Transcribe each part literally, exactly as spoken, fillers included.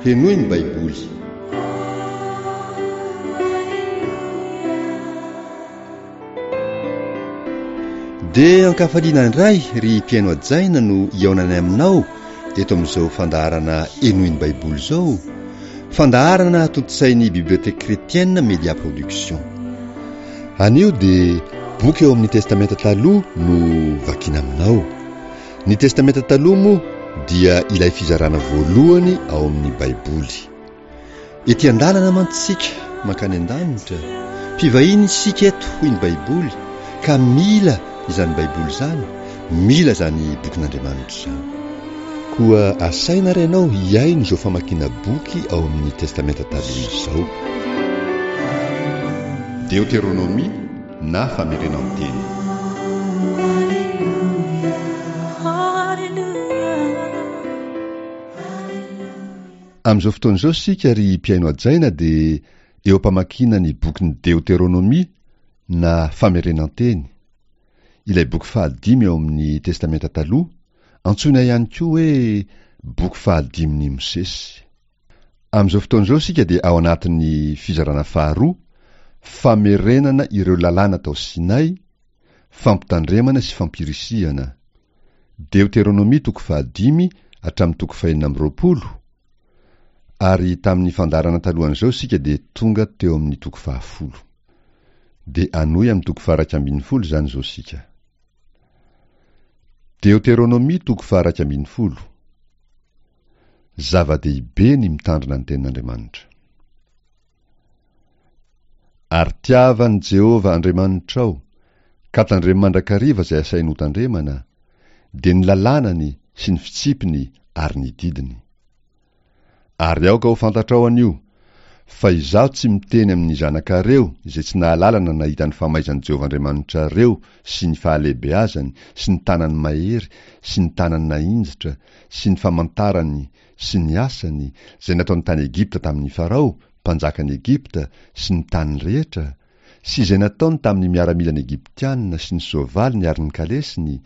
Henoy ny Baiboly. Dia ankafaliana indray ry mpihaino hajaina no hihaonanay aminao eto amin'izao fandaharana Henoy ny Baiboly izao, fandaharana tontosain'ny Bibliothèque Chrétienne Media Production. Anio dia boky eo amin'ny Testamenta Taloha no vakiana aminao. Ny Testamenta Taloha moa dia ilay fizarana voalohany ao amin'ny Baiboly. Ety an-dalana mantsy isika mankany an-danitra, mpivahiny isika eto hoy ny Baiboly, ka mila izany Baiboly izany, mila izany bokin'Andriamanitra izany. Koa asaina ary ianao hihaino izao famakiana boky ao amin'ny Testamenta Taloha izao. Deoteronomia na Famerenan-teny. Amin'izao fotoana izao isika ry mpihaino hajaina dia eo am-pamakiana ny bokin'ny Deoteronomia na Famerenan-teny, ilay boky fahadimy ao amin'ny Testamenta Taloha, antsoina ihany koa hoe boky fahadimin'i Mosesy. Amin'izao fotoana izao isika dia ao anatin'ny fizarana faharoa, famerenana ireo lalàna tao Sinay, fampitandremana sy fampirisihana. Deoteronomia toko fahadimy hatramin'ny toko fahenina amby roapolo, ary tamin'ny fandaharana talohan'izao isika dia tonga teo amin'ny toko fahafolo. Dia hanohy amin'ny toko faha-iraika ambin'ny folo izany izao isika. Deoteronomia toko faha-iraika ambin'ny folo. Zava-dehibe ny mitandrina ny tenin'Andriamanitra. Ary tiava an'i Jehovah Andriamanitrao, ka tandremo mandrakariva izay asainy hotandremana, dia ny lalànany sy ny fitsipiny ary ny didiny. Ary aoka ho fantatrao anio, fa izaho tsy miteny amin'ny zanakareo izay tsy nahalala na nahita ny famaizan'i Jehovah Andriamanitrareo sy ny fahalehibeazany sy ny tanany mahery sy ny tanany nahinjitra sy ny famantarany sy ny asany izay nataony tany Egypta tamin'i Farao, mpanjakan'i Egypta, sy ny taniny rehetra, sy izay nataony tamin'ny miaramilan'ny Egyptiana sy ny soavaliny ary ny kalesiny,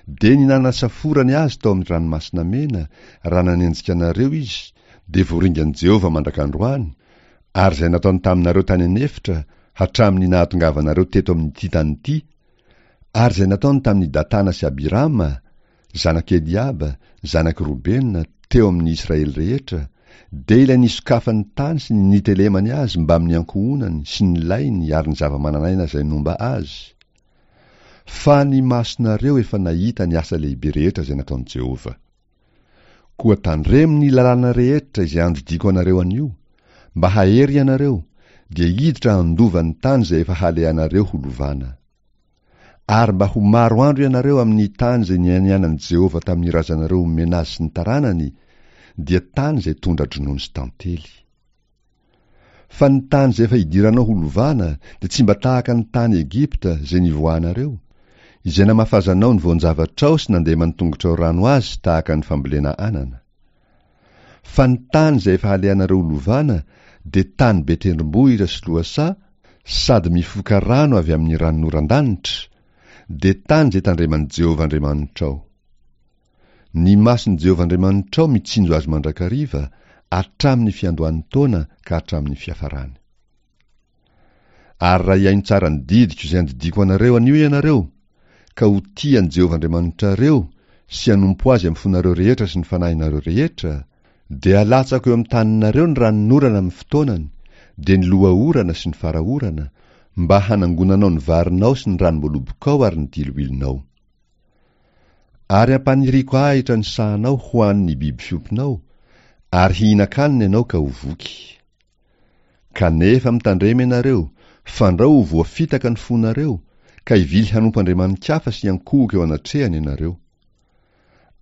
dia ny nanasaforany azy tao amin'ny Ranomasina Mena, raha nanenjika anareo izy, dia voaringan'i Jehovah mandrak'androany, ary izay nataony taminareo tany an'efitra hatramin'ny nahatongavanareo teto amin'ity tany ity, ary izay nataony tamin'i Datana sy Abirama, zanak'i Eliaba, zanak'i Robena, teo amin'ny Israely rehetra, dia ilay nisokafan'ny tany sy ny nitelemany azy mbamin'ny ankohonany sy ny lainy ary ny zava-manan'aina izay nomba azy. Fa ny masonareo efa nahita ny asa lehibe rehetra izay nataon'i Jehovah. Koa tandremo ny lalàna rehetra izay andidiako anareo anio, mba hahery ianareo, dia hiditra handova ny tany izay efa halehanareo ho lovana. Ary mba ho maro andro ianareo amin'ny tany izay nianianan'i Jehovah tamin'ny razanareo homena azy sy ny taranany, dia tany izay tondra-dronono sy tantely. Fa ny tany izay efa hidiranao ho lovana dia tsy mba tahaka ny tany Egypta izay nivoahanareo, izay namafazanao ny voan-javatrao sy nandeman'ny tongotrao rano azy tahaka ny fambolena anana. Fa ny tany izay efa halehanareo ho lovana dia tany be tendrombohitra sy lohasaha sady mifoka rano avy amin'ny ranonoran-danitra, dia tany izay tandreman'i Jehovah Andriamanitrao. Ny mason'i Jehovah Andriamanitrao mitsinjo azy mandrakariva, hatramin'ny fiandohan'ny taona ka hatramin'ny fiafarany. Ary raha hihaino tsara ny didiko izay andidiako anareo anio ianareo, ka ho tia an'i Jehovah Andriamanitrareo sy hanompo azy amin'ny fonareo rehetra sy ny fanahinareo rehetra, dia halatsako eo amin'ny taninareo ny ranonorana amin'ny fotoanany, dia ny loha-orana sy ny fara-orana, mba hanangonanao ny varinao sy ny ranom-boalobokao ary ny diloilonao. Ary hampaniriako ahitra ny sahanao ho an'ny biby fiompinao, ary hihinan-kanina ianao ka ho voky. Kanefa mitandrema ianareo, fandrao ho voafitaka ny fonareo, ka hivily hanompo andriamani-kafa sy hiankohoka eo anatrehany ianareo.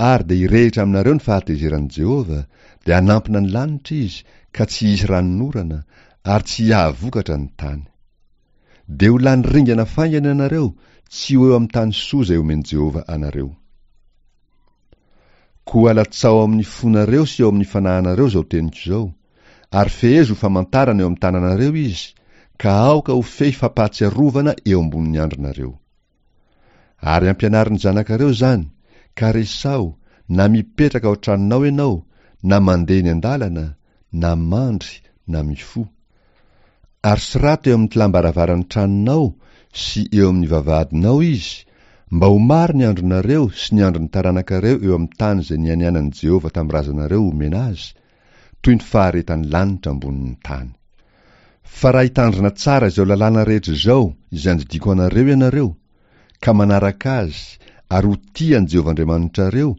Ary dia hirehitra aminareo ny fahatezeran'i Jehovah, dia hanampina ny lanitra izy, ka tsy hisy ranonorana, ary tsy hiahavokatra ny tany. Dia ho lany ringana faingana ianareo, tsy ho eo amin'ny tany soa izay omen'i Jehovah anareo. Koa alatsao ao amin'ny fonareo sy ao amin'ny fanahinareo izao teniko izao, ary fehezo ho famantarana eo amin'ny tananareo izy, ka aoka ho fehy fampahatsiarovana eo ambonin'ny andrinareo. Ary ampianaro ny zanakareo izany, ka resaho, na mipetraka ao an-tranonao ianao, na mandeha eny an-dalana, na mandry na mifoha. Ary soraty eo amin'ny tlam-baravaran'ny tranonao sy eo amin'ny vavahadinao izy, mba ho maro ny andronareo sy ny andron'ny taranakareo eo amin'ny tany izay nianianan'i Jehovah tamin'ny razanareo homena azy, toy ny faharetan'ny lanitra ambonin'ny tany. Fa raha hitandrina tsara izao lalàna rehetra izao izay andidiako anareo ianareo, ka manaraka azy ary ho tia an'i Jehovah Andriamanitrareo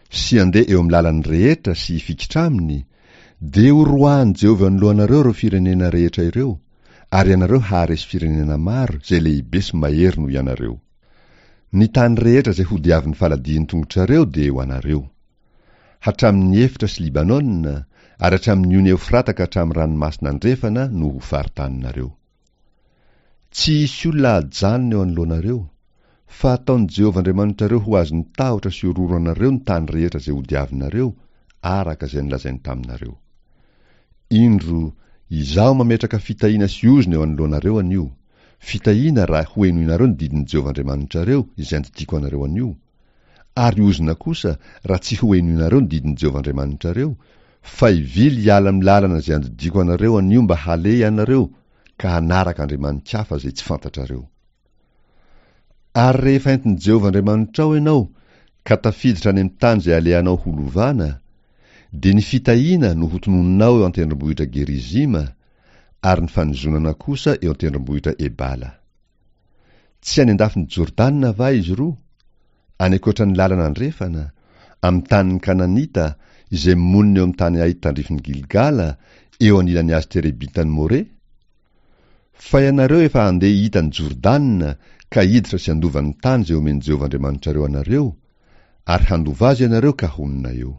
sy handeha eo amin'ny lalany rehetra sy hifikitra aminy, dia horoahin'i Jehovah eo anoloanareo ireo firenena rehetra ireo, ary ianareo haharesy firenena maro izay lehibe sy mahery noho ianareo. Ny tany rehetra izay hodiavin'ny faladian'ny tongotrareo dia ho anareo. Hatramin'ny efitra sy Libanona, ary hatramin'ny ony Eofrata ka hatramin'ny ranomasina andrefana no ho faritaninareo. Tsy hisy olona hajanona eo anoloanareo, fa hataon'i Jehovah Andriamanitrareo ho azon'ny tahotra sy ororo anareo ny tany rehetra izay hodiavinareo, araka izay nolazainy taminareo. Indro, izaho mametraka fitahiana sy ozona eo anoloanareo anio, fitahiana raha hohenoinareo ny didin'i Jehovah Andriamanitrareo izay andidiako anareo anio, ary ozona kosa raha tsy hohenoinareo ny didin'i Jehovah Andriamanitrareo, fa hivily hiala amin'ny lalana izay andidiako anareo anio mba haleha ianareo ka hanaraka andriamani-kafa izay tsy fantatrareo. Ary rehefa entin'i Jehovah Andriamanitrao ianao ka tafiditra any amin'ny tany izay alehanao ho lovana, dia ny fitahiana no hotononinao eo an-tendrombohitra Gerizima, ary ny fanozonana kosa eo an-tendrombohitra Ebala. Tsy any an-dafin'i Jordana va izy roa? Any ankoatra ny lalana andrefana, amin'ny tanin'ny Kananita, izay monina eo amin'ny tany ahit tandrifin'i Gilgala, eo anilan'ny hazo terebintan'i More? Fa ianareo efa handeha hita an'i Jordana ka hiditra sy handova ny tany izay omen'i Jehovah Andriamanitrareo anareo, ary handova azy ianareo ka honina eo.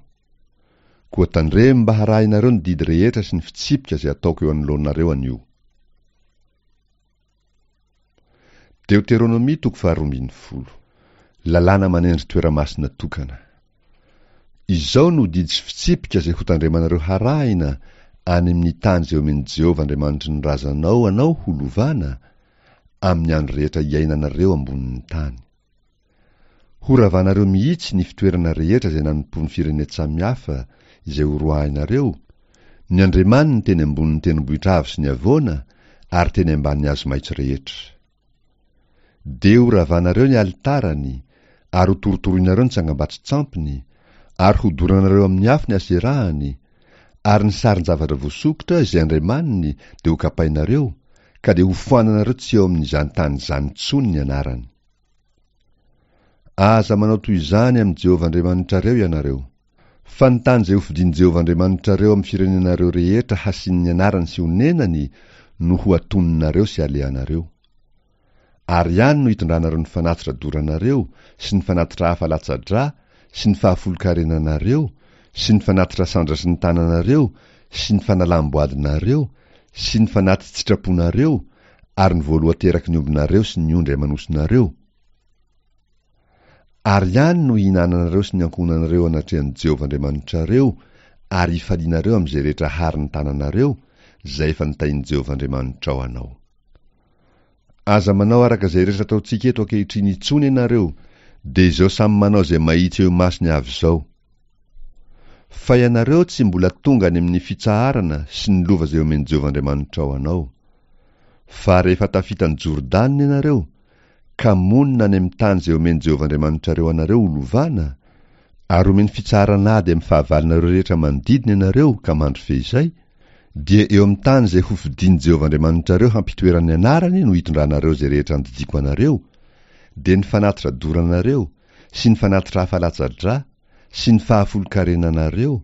Koa tandremo mba harahinareo ny didy rehetra sy ny fitsipika izay ataoko eo anoloanareo anio. Deoteronomia toko faharoa ambin'ny folo. Lalàna manendry toeramasina tokana. Izao no didy sy fitsipika izay hotandremanareo harahina any amin'ny tany izay omen'i Jehovah Andriamanitry ny razanao anao ho lovana, amin'ny andro rehetra iainanareo ambonin'ny tany. Horavanareo mihitsy ny fitoerana rehetra izay nanompoan'ny firenen-tsamihafa izay horoahinareo, ny andriamaniny teny ambonin'ny tendrombohitra avo sy ny havoana ary teny ambanin'ny hazo maitso rehetra. Dia horavanareo ny alitarany, ary hotorotoroinareo ny tsangambato-tsampiny, ary hodoranareo amin'ny afo ny aserahany, ary ny sarin-javatra voasokitra izay andriamaniny dia hokapainareo, ka dia hofoananareo tsy eo amin'izany tany izany intsony ny anarany. Aza manao toy izany amin'i Jehovah Andriamanitrareo ianareo. Fa ny tany izay hofidin'i Jehovah Andriamanitrareo amin'ny firenenareo rehetra hasian'ny anarany sy honenany no ho atoninareo sy alehanareo. Ary any no hitondranareo ny fanatitra doranareo sy ny fanatitra hafa latsa-drà sy ny fahafolonkarenanareo sy ny fanatitra sandratry ny tananareo sy ny fanalam-boadinareo sy ny fanati-tsitraponareo ary ny voalohan-teraky ny ombinareo sy ny ondry aman'osinareo. Ary any no hihinananareo sy ny ankohonanareo anatrehan'i Jehovah Andriamanitrareo ary hifalianareo amin'izay rehetra harin'ny tananareo, izay efa notahin'i Jehovah Andriamanitrao anao. Aza manao araka izay rehetra ataontsika eto ankehitriny intsony ianareo, dia izao samy manao izay mahitsy eo imasony avy izao. Fa ianareo tsy mbola tonga any amin'ny fitsaharana sy ny lova izay omen'i Jehovah Andriamanitrao anao. Fa rehefa tafita an'i Jordana ianareo, ka monina any amin'ny tany izay omen'i Jehovah Andriamanitrareo anareo ho lovana, ary omeny fitsaharana ady amin'ny fahavalonareo rehetra manodidina ianareo ka mandry feizay, dia eo amin'ny tany izay hofidin'i Jehovah Andriamanitrareo hampitoerany ny anarany no hitondranareo izay rehetra andidiako anareo, dia ny fanatitra doranareo, sy ny fanatitra hafa latsa-drà, sy ny fahafolonkarenanareo,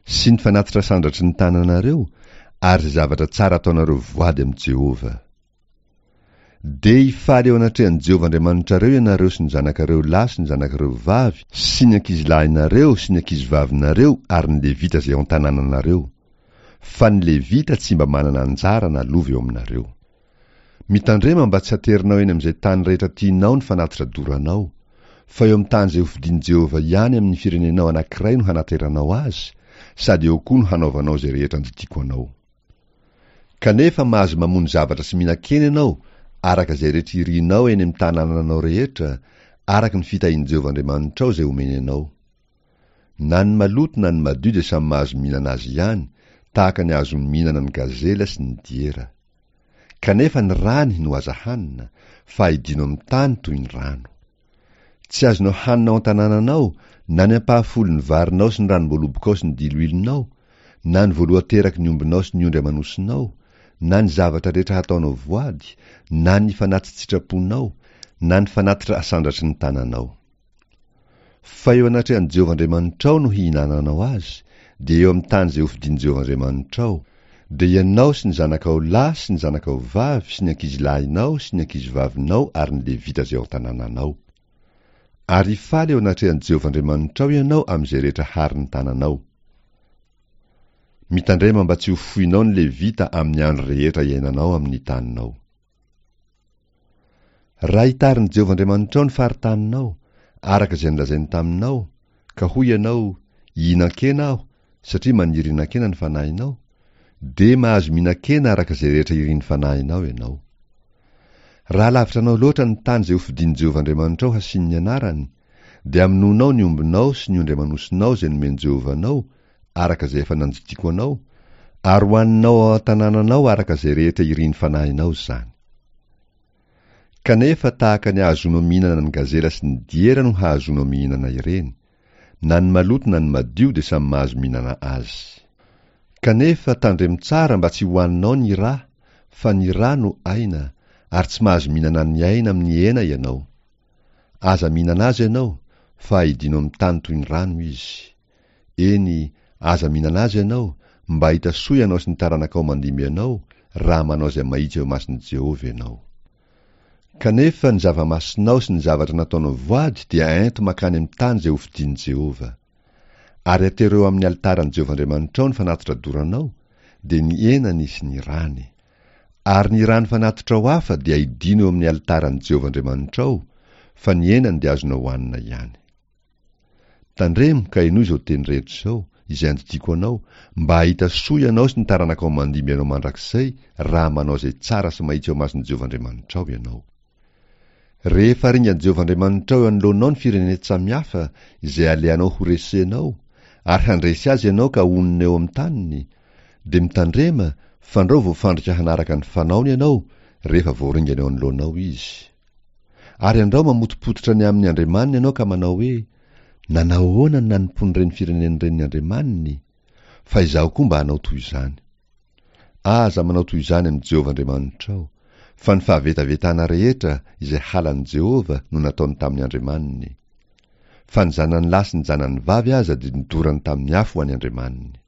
sy ny fanatitra sandratry ny tananareo, ary izay zavatra tsara ataonareo voady amin'i Jehovah. Dia hifaly eo anatrehan'i Jehovah Andriamanitrareo ianareo sy ny zanakareo lahy sy ny zanakareo vavy sy ny ankizilahinareo sy ny ankizivavinareo ary ny Levita izay ao an-tanànanareo, fa ny Levita tsy mba manana anjara na lova eo aminareo. Mitandrema mba tsy haterinao eny amin'izay tany rehetra tianao ny fanatitra doranao, fa eo amin'ny tany izay hofidin'i Jehovah ihany amin'ny firenenao anankiray no hanateranao azy, sady eo koa no hanaovanao izay rehetra andidiako anao. Kanefa mahazo mamono zavatra sy mihinan-kena ianao, araka izay rehetra irinao eny amin'ny tanànanao rehetra, araka ny fitahian'i Jehovah Andriamanitrao izay omeny anao. Na ny maloto na ny madio dia samy mahazo mihinana azy ihany, tahaka ny ahazoany mihinana ny gazela sy ny diera. Kanefa ny rany no aza hanina, fa aidino amin'ny tany toy ny rano. Tsy azonao hanina ao an-tanànanao na ny ampahafolon'ny varinao sy ny ranom-boalobokao sy ny diloilonao, na ny voalohan-teraky ny ombinao sy ny ondry aman'osinao, na ny zavatra rehetra hataonao voady, na ny fanati-tsitraponao, na ny fanatitra asandratry ny tananao. Fa eo anatrehan'i Jehovah Andriamanitrao no hihinananao azy, dia eo amin'ny tany izay hofidin'i Jehovah Andriamanitrao, dia ianao sy ny zanakao lahy sy ny zanakao vavy sy ny ankizilahinao sy ny ankizivavinao ary ny Levita izay ao an-tanànanao. Ary hifaly eo anatrehan'i Jehovah Andriamanitrao ianao amin'izay rehetra harin'ny tananao. Mitandrema mba tsy ho foinao ny Levita amin'ny andro rehetra iainanao amin'ny taninao. Raha hitarin'i Jehovah Andriamanitrao ny faritaninao, araka izay nolazainy taminao, ka hoy ianao, Hihinan-kena aho, satria maniry hihinan-kena ny fanahinao, dia mahazo mihinan-kena araka izay rehetra irin'ny fanahinao ianao. Raha lavitra anao loatra ny tany izay hofidin'i Jehovah Andriamanitrao hasiany ny anarany, dia hamonoanao ny ombinao sy ny ondry aman'osinao izay nomen'i Jehovah anao, araka izay efa nandidiako anao, ary hohaninao ao an-tanànanao araka izay rehetra irin'ny fanahinao izany. Kanefa tahaka ny ahazoanao mihinana ny gazela sy ny diera no hahazoanao mihinana ireny. Na ny maloto na ny madio dia samy mahazo mihinana azy. Kanefa tandremo tsara mba tsy hohaninao ny ra, fa ny ra no aina, ary tsy mahazo mihinana ny aina amin'ny hena ianao. Aza mihinana azy ianao, fa aidino amin'ny tany toy ny rano izy. Eny, aza mihinana azy ianao, mba hahita soa ianao sy ny taranakao mandimby anao, raha manao izay mahitsy eo imason'i Jehovah ianao. Kanefa ny zava-masinao sy ny zavatra nataonao voady dia ento mankany amin'ny tany izay hofidin'i Jehovah. Ary atero eo amin'ny alitaran'i Jehovah Andriamanitrao ny fanatitra doranao, dia ny henany sy ny rany. Ary ny rany fanatitrao hafa dia aidino eo amin'ny alitaran'i Jehovah Andriamanitrao, fa ny henany dia azonao hohanina ihany. Tandremo ka henoy izao teny rehetra izao, izay andidiako anao, mba hahita soa ianao sy ny taranakao mandimby anao mandrakizay, raha manao izay tsara sy mahitsy eo imason'i Jehovah Andriamanitrao ianao. Rehefa ringan'i Jehovah Andriamanitrao eo anoloanao ny firenen-tsamihafa izay alehanao horesenao, ary handresy azy ianao ka honina eo amin'ny taniny, dia mitandrema fandrao voafandrika hanaraka ny fanaony ianao rehefa voaringana eo anoloanao izy. Ary andrao mamotopototra ny amin'ny andriamaniny ianao ka manao hoe, Nanao ahoana ny nanompoan'ireny firenena ireny ny andriamaniny? Fa izaho koa mba hanao toy izany. Aza manao toy izany amin'i Jehovah Andriamanitrao, fa ny fahavetavetana rehetra izay halan'i Jehovah no nataony tamin'ny andriamaniny. Fa ny zanany lahy sy ny zanany vavy aza dia nodorany tamin'ny afo ho an'ny andriamaniny.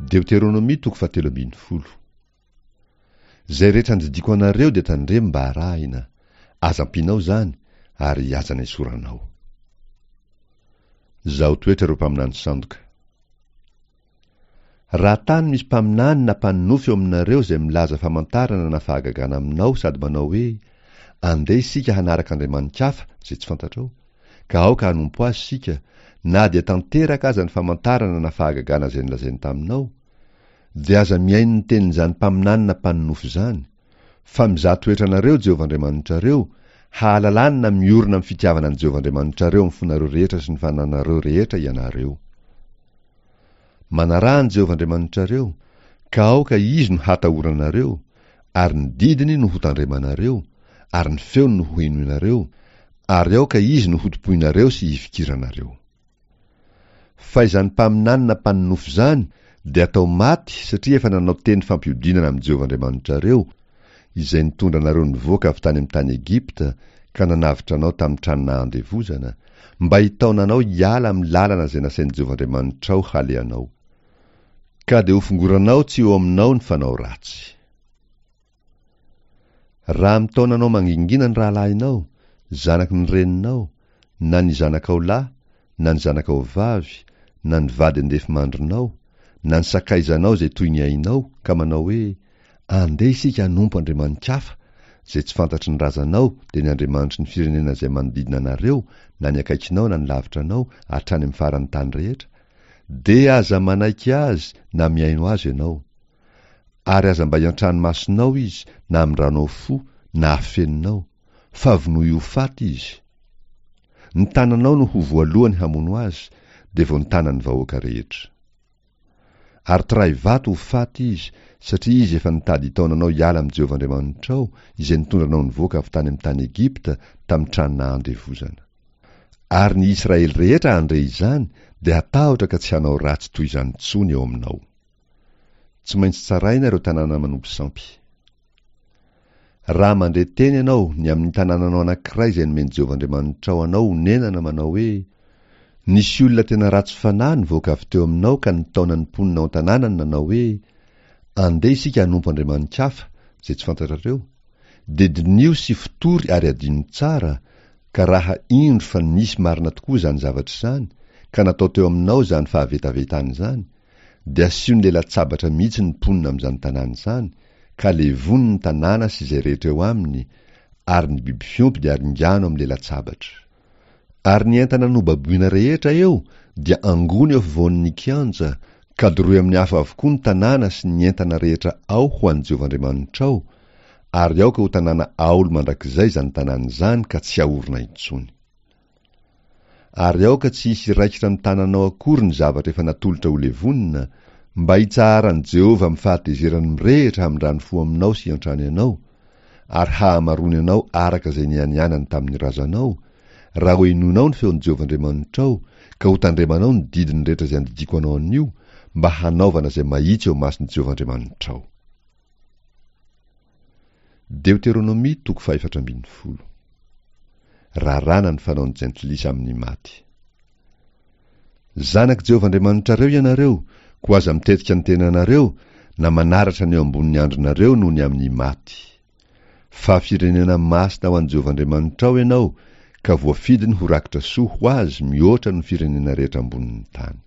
Deoteronomia toko fahatelo ambin'ny folo. Izay rehetra andidiako anareo dia tandremo mba harahina, aza ampianao izany ary aza nesoranao. Zaho toetra ireo mpaminany sandoka. Raha tany misy mpaminany na mpanonofy eo aminareo izay milaza famantarana na fahagagana aminao sady manao hoe, Andeha isika hanaraka andriamani-kafa izay tsy fantatrao, ka aoka hanompo azy isika, na dia tanteraka aza ny famantarana na fahagagana izay nolazainy taminao, dia aza mihaino ny tenin'izany mpaminany na mpanonofy izany, fa mizaha toetra anareo Jehovah Andriamanitrareo, hahalalany na miorina amin'ny fitiavana an'i Jehovah Andriamanitrareo amin'ny fonareo rehetra sy ny fananareo rehetra ianareo. Manaraha an'i Jehovah Andriamanitrareo, ka aoka Izy no hatahoranareo, ary ny didiny no hotandremanareo, ary ny feony no hohenoinareo, ary aoka Izy no hotompoinareo sy hifikiranareo. Fa izany mpaminany na mpanonofy izany dia atao maty satria efa nanao teny fampiodinana amin'i Jehovah Andriamanitrareo, izay nitondra anareo nivoaka avy tany amin'ny tany Egypta ka nanavotra anao tamin'ny trano nahandevozana, mba hitaona anao hiala amin'ny lalana izay nasain'i Jehovah Andriamanitrao halehanao. Ka dia hofongoranao tsy eo aminao ny fanao ratsy. Raha mitaona anao mangingina ny rahalahinao, zanaky ny reninao, na ny zanakao lahy, na ny zanakao vavy, na ny vady andefimandrinao, na ny sakaizanao izay toy ny ainao, ka manao hoe, Andeha isika hanompo andriamani-kafa, izay tsy fantatry ny razanao, dia ny andriamanitry ny firenena izay manodidina anareo, na ny akaikinao na ny lavitra anao, hatrany amin'ny faran'ny tany rehetra, dia aza manaiky azy na mihaino azy ianao. Ary aza mba iantrano masonao izy, na amindranao fo, na afeninao, fa vonoy ho faty izy. Ny tananao no ho voalohany hamono azy, dia vao ny tanan'ny vahoaka rehetra. Ary torahy vato ho faty izy, satria izy efa nitady hitaona anao hiala amin'i Jehovah Andriamanitrao, izay nitondra anao nivoaka avy tany amin'ny tany Egypta, tamin'ny trano nahandevozana. Ary ny Israely rehetra handre izany, dia hatahotra ka tsy hanao ratsy toy izany intsony eo aminao. Tsy maintsy tsaraina ireo tanàna manompo sampy. Raha mandre teny ianao ny amin'ny tanànanao anankiray izay nomen'i Jehovah Andriamanitrao anao honenana manao hoe, Nisy olona tena ratsy fanahy nivoaka avy teo aminao ka nitaona ny mponina ao an-tanànany nanao hoe, Andeha isika hanompo andriamani-kafa, izay tsy fantatrareo, dia diniho sy fotory ary adino tsara, ka raha indro fa nisy marina tokoa izany zavatra izany, ka natao teo aminao izany fahavetavetana izany, dia asio ny lela-tsabatra mihitsy ny mponina amin'izany tanàna izany, ka levony ny tanàna sy izay rehetra eo aminy, ary ny biby fiompy dia aringano amin'ny lela-tsabatra. Ary ny entana nobaboina rehetra eo dia angony eo afovoan'ny kianja, ka doroy amin'ny afo avokoa ny tanàna sy ny entana rehetra ao ho an'i Jehovah Andriamanitrao, ary aoka ho tanàna aolo mandrakizay izany tanàna izany ka tsy haorina intsony. Ary aoka tsy hisy hiraikitra amin'ny tananao akory ny zavatra efa natolotra ho levonina, mba hitsaharan'i Jehovah amin'ny fahatezerany mirehitra hamindrany fo aminao sy hiantrany anao, ary hahamaroany anao araka izay nianianany tamin'ny razanao, raha hohenoinao ny feon'i Jehovah Andriamanitrao, ka hotandremanao ny didiny rehetra izay andidiako anao anio, mba hanaovana izay mahitsy eo imason'i Jehovah Andriamanitrao. Deoteronomia toko fahefatra ambin'ny folo. Raràna ny fanaon'ny jentilisa amin'ny maty. Zanak'i Jehovah Andriamanitrareo ianareo, koa aza mitetika ny tenanareo na manaratra ny eo ambonin'ny andrinareo noho ny amin'ny maty. Fa firenena masina ho an'i Jehovah Andriamanitrao ianao, ka voafidiny ho rakitra soa ho azy mihoatra noho ny firenena rehetra ambonin'ny tany.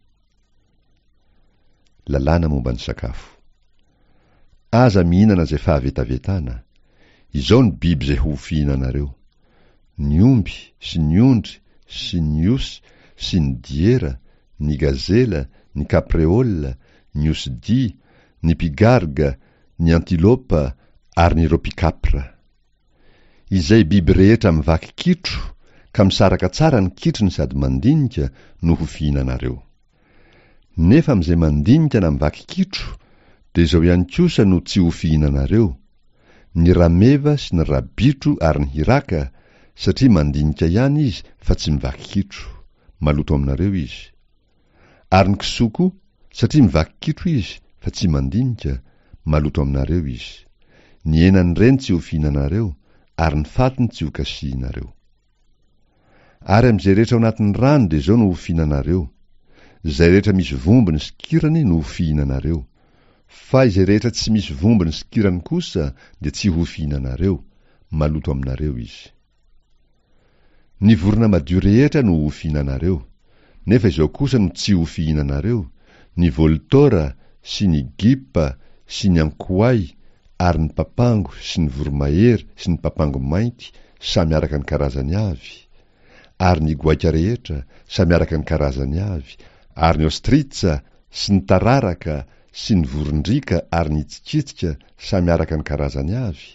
Lalàna momba ny sakafo. Aza mihinana izay fahavetavetana. Izao ny biby izay ho fihinanareo: ny omby sy ny ondry sy ny osy sy ny diera, ny gazela, ny kapreola, ny osidia, ny pigarga, ny antilopa ary ny ropikapra. Izay biby rehetra mivaky kitro ka misaraka tsara ny kitrony sady mandinika no ho fihinanareo. Nefa amin'izay mandinika na mivaky kitro, dia izao ihany kosa no tsy ho fihinanareo, ny rameva sy ny rabitro ary ny hiraka, satria mandinika ihany izy fa tsy mivaky kitro, maloto aminareo izy. Ary ny kisoa koa, satria mivaky kitro izy fa tsy mandinika, maloto aminareo izy. Ny henan'ireny tsy ho fihinanareo, ary ny fatiny tsy ho kasihinareo. Ary amin'izay rehetra ao anatin'ny rano dia izao no ho fihinanareo, izay rehetra misy vombony sy kirany no ho fihinanareo. Fa izay rehetra tsy misy vombony sy kirany kosa dia tsy ho fihinanareo, maloto aminareo izy. Ny vorona madio rehetra no ho fihinanareo, nefa izao kosa no tsy ho fihinanareo, ny voltora sy ny gipa sy ny ankoay ary ny papango sy ny voromahery sy ny papango mainty samy araka ny karazany avy, ary ny goaika rehetra samy araka ny karazany avy, ary ny ostritsa sy ny tararaka sy ny vorondriaka ary ny tsikitsika samy araka ny karazany avy,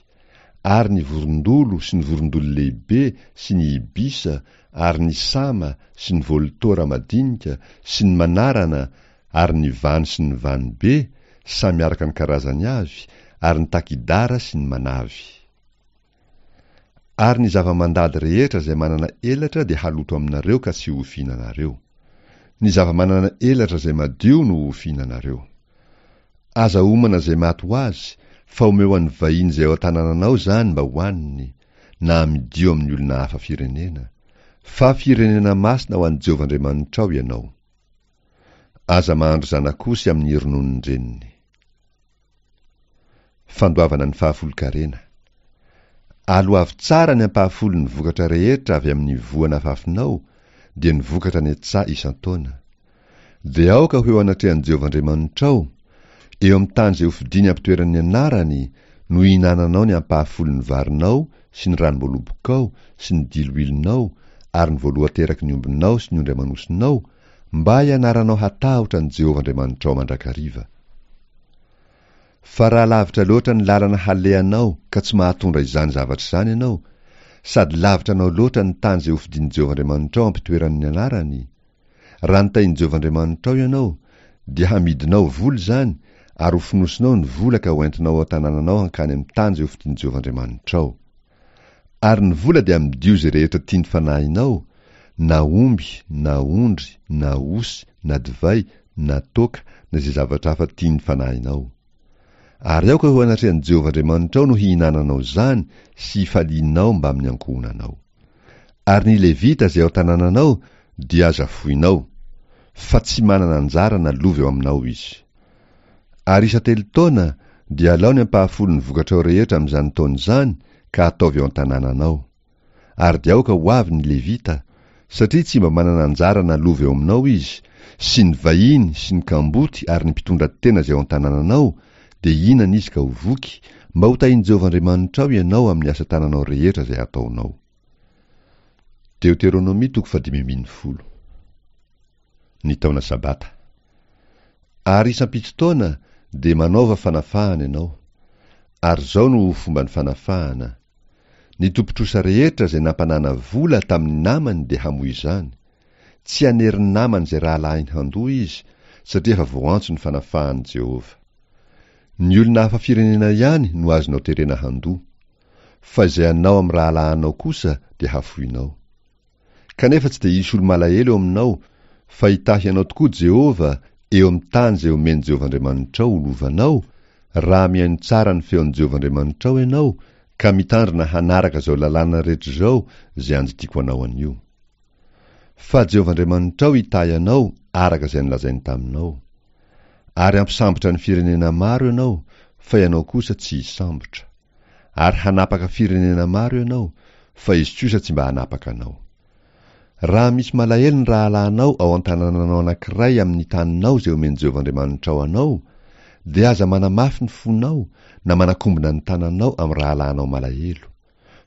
ary ny vorondolo sy ny vorondolo lehibe sy ny ibisa ary ny sama sy ny voltora madinika sy ny manarana ary ny vano sy ny vano be samy araka ny karazany avy, ary ny takidara sy ny manavy. Ary ny zava-mandady rehetra izay manana elatra dia haloto aminareo ka tsy ho fihinanareo. Ny zava-manana elatra izay madio no ho fihinanareo. Aza homana izay maty ho azy, fa omeo an'ny vahiny izay ao an-tanànanao izany mba hohaniny, na amidio amin'ny olona hafa firenena. Fa firenena masina ho an'i Jehovah Andriamanitrao ianao. Aza mahandro zanak'osy amin'ny rononon-dreniny. Fandoavana ny fahafolon-karena. Aloavy tsara ny ampahafolon'ny vokatra rehetra avy amin'ny voa nafafinao, dia ny vokatra any an-tsaha isan-taona. Dia aoka ho eo anatrehan'i Jehovah Andriamanitrao, eo amin'ny tany izay hofidiny hampitoerany ny anarany, no hihinananao ny ampahafolon'ny varinao sy ny ranom-boalobokao sy ny diloilonao ary ny voalohan-teraky ny ombinao sy ny ondry aman'osinao, mba hianaranao hatahotra an'i Jehovah Andriamanitrao mandrakariva. Fa raha lavitra loatra ny lalana halehanao ka tsy mahatondra izany zavatra izany ianao, sady lavitra anao loatra ny tany izay hofidin'i Jehovah Andriamanitrao hampitoerany ny anarany, raha notahin'i Jehovah Andriamanitrao ianao, dia hamidinao vola izany ary hofonosinao ny vola ka hoentinao ao an-tanànanao hankany amin'ny tany izay hofidin'i Jehovah Andriamanitrao. Ary ny vola dia amidio izay rehetra tian'ny fanahinao, na omby, na ondry, na osy, na divay, na toaka, na izay zavatra hafa tian'ny fanahinao. Ary aoka ho anatrehan'i Jehovah Andriamanitrao no hihinananao izany sy hifalianao mbamin'ny ankohonanao. Ary ny Levita izay ao an-tanànanao dia aza foinao, fa tsy manana anjara na lova eo aminao izy. Ary isan-telo taona dia alao ny ampahafolon'ny vokatrao rehetra amin'izany taona izany ka ataovy eo an-tanànanao. Ary dia aoka ho avy ny Levita, satria tsy mba manana anjara na lova eo aminao izy, sy ny vahiny sy ny kamboty ary ny mpitondra tena izay ao an-tanànanao, dia hihinana izy ka ho voky, mba ho tahin'i Jehovah Andriamanitrao ianao amin'ny asa tananao rehetra izay ataonao. Deoteronomia toko fahadimy ambin'ny folo. Ny taona Sabata. Ary isam-pito taona dia manaova fanafahana ianao. Ary izao no ho fomban'ny fanafahana. Ny tompon-trosa rehetra izay nampanana vola tamin'ny namany dia hamoy izany. Tsy hanery ny namany izay rahalahiny handoa izy, satria efa voantso ny fanafahan'i Jehovah. Ny olona hafa firenena ihany no azonao terena handoa. Fa izay anao amin'ny rahalahinao kosa dia hafoinao. Kanefa tsy dia hisy olo-malahelo eo aminao, fa hitahy anao tokoa Jehovah eo amin'ny tany izay omen'i Jehovah Andriamanitrao ho lovanao, raha mihaino tsara ny feon'i Jehovah Andriamanitrao ianao, ka mitandrina hanaraka izao lalàna rehetra izao izay andidiako anao anio. Fa Jehovah Andriamanitrao hitahy anao araka izay nolazainy taminao. Ary hampisambotra ny firenena maro ianao, fa ianao kosa tsy hisambotra. Ary hanapaka firenena maro ianao, fa izy kosa tsy mba hanapaka anao. Raha misy malahelo ny rahalahinao ao an-tanànanao anankiray amin'ny taninao izay omen'i Jehovah Andriamanitrao anao, dia aza manamafy ny fonao na manakombona ny tananao amin'ny rahalahinao malahelo.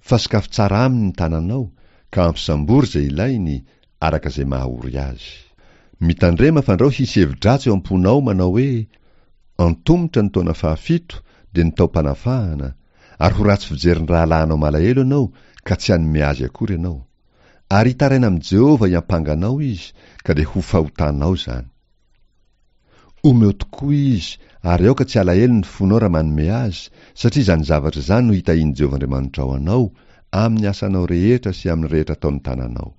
Fa sokafy tsara aminy ny tananao, ka ampisambory izay ilainy, araka izay mahaory azy. Mitandrema fandrao hisy hevi-dratsy eo am-ponao manao hoe, Antomotra ny taona fahafito, dia ny taom-panafahana, ary ho ratsy fijery ny rahalahinao malahelo ianao, ka tsy hanome azy akory ianao. Ary hitaraina amin'i Jehovah hiampanga anao izy, ka dia ho fahotanao izany. Omeo tokoa izy, ary aoka tsy halahelo ny fonao raha manome azy, satria izany zavatra izany no hitahian'i Jehovah Andriamanitrao anao, amin'ny asanao rehetra sy amin'ny rehetra ataon'ny tananao.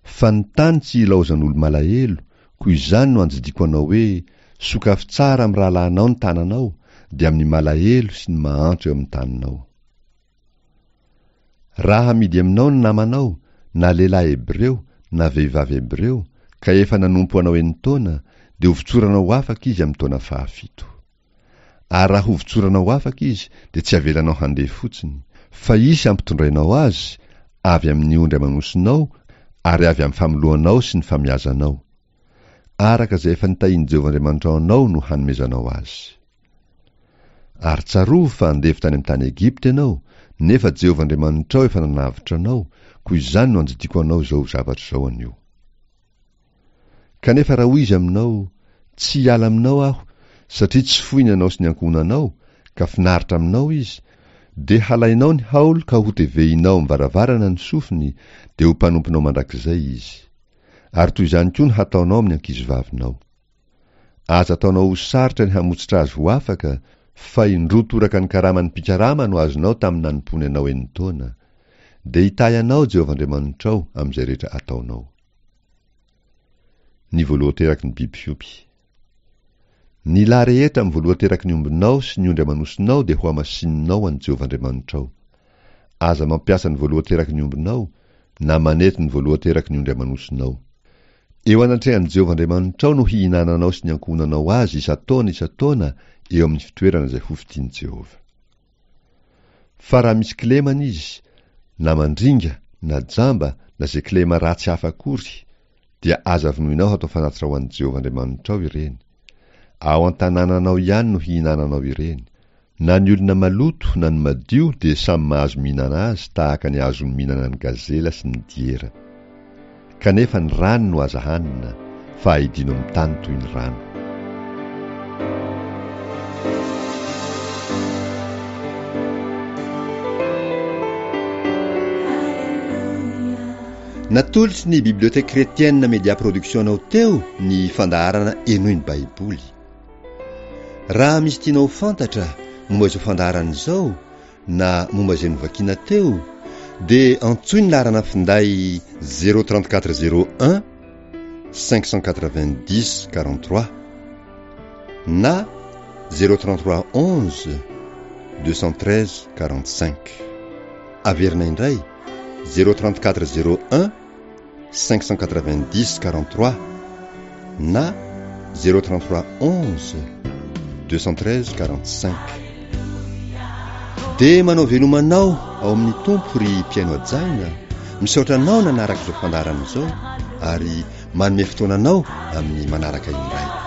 Fa ny tany tsy ilaozan'olo-malahelo, koa izany no andidiako anao hoe, Sokafy tsara amin'ny rahalahinao ny tananao, dia amin'ny malahelo sy ny mahantra eo amin'ny taninao. Raha hamidy aminao ny namanao, na lehilahy hebreo na vehivavy hebreo, ka efa nanompo anao enin-taona, dia hovotsoranao ho afaka izy amin'ny taona fahafito. Ary raha hovotsoranao afaka izy, dia tsy avelanao handeha fotsiny, fa hisy hampitondrainao azy avy amin'ny ondry aman'osinao ary avy amin'ny famoloanao sy ny famiazanao. Araka izay efa nitahian'i Jehovah Andriamanitrao anao no hanomezanao azy. Ary tsarovy fa andevo tany amin'ny tany Egypta ianao, nefa Jehovah Andriamanitrao efa nanavotra anao, koa izany no andidiako anao izao zavatra izao anio. Kanefa raha hoy izy aminao, Tsy hiala aminao aho, satria tsy foiny ianao sy ny ankohonanao, ka finaritra aminao izy, dia halainao ny haolo ka hotevehinao amin'ny varavarana ny sofiny, dia ho mpanomponao mandrakizay izy. Ary toy izany koa no hataonao amin'ny ankizivavinao. Aza ataonao ho sarotra ny hamotsitra azy ho afaka, fa indroa toraka ny karaman'ny mpikarama no azonao tamin'ny nanompoany anao enin-taona. Dia hitahy anao Jehovah Andriamanitrao amin'izay rehetra ataonao. Ny voalohan-teraky ny biby fiompy. Ny lahy rehetra amin'ny voalohan-teraky ny ombinao sy ny ondry aman'osinao dia hohamasininao an'i Jehovah Andriamanitrao. Aza mampiasa ny voalohan-teraky ny ombinao, na manety ny voalohan-teraky ny ondry aman'osinao. Eo anatrehan'i Jehovah Andriamanitrao no hihinananao sy ny ankohonanao azy isan-taona isan-taona eo amin'ny fitoerana izay hofidin'i Jehovah. Fa raha misy kilemana izy, na mandringa, na jamba, na izay kilema ratsy hafa akory, dia aza vonoinao hatao fanatitra ho an'i Jehovah Andriamanitrao ireny. Ao an-tanànanao ihany no hihinananao ireny. Na ny olona maloto na ny madio dia samy mahazo mihinana azy tahaka ny ahazoany mihinana ny gazela sy ny diera. Kanefa ny rany no aza hanina, fa aidino amin'ny tany toy ny rano. Natolotry ny Bibliothèque Chrétienne Media Production anao teo ny fandaharana Henoy ny Baiboly. Raha misy tianao ho fantatra momba izao fandaharana izao na momba izay novakiana teo dia antsoy ny laharana finday zéro trente quatre zéro un cinq cent quatre-vingt-dix quarante-trois na zéro trente-trois onze deux cent treize quarante-cinq. Averina indray zéro trente-quatre zéro un cinq cent quatre-vingt-dix quarante-trois na zéro trente-trois onze deux cent treize quarante-cinq. Dia manao veloma anao ao amin'ny Tompo ry mpihaino hajaina, misaotra anao nanaraka izao fandaharana izao ary manome fotoana anao amin'ny manaraka indray.